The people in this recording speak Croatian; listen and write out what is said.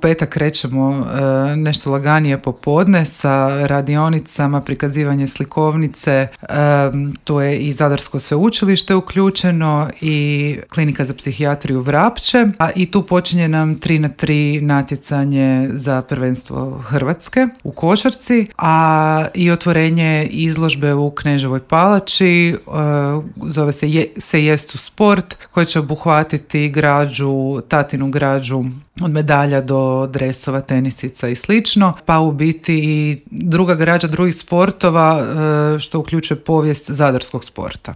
Petak krećemo nešto laganije popodne sa radionicama, prikazivanje slikovnice, tu je i Zadarsko sveučilište uključeno i klinika za psihijatriju Vrapče, a i tu počinje nam 3x3 natjecanje za prvenstvo Hrvatske u košarci, a i otvorenje izložbe u Kneževoj palači, zove se Jestu sport, koji će obuhvatiti građu, tatinu građu od medalja do dresova, tenisica i slično, pa u biti i druga građa drugih sportova što uključuje povijest zadarskog sporta.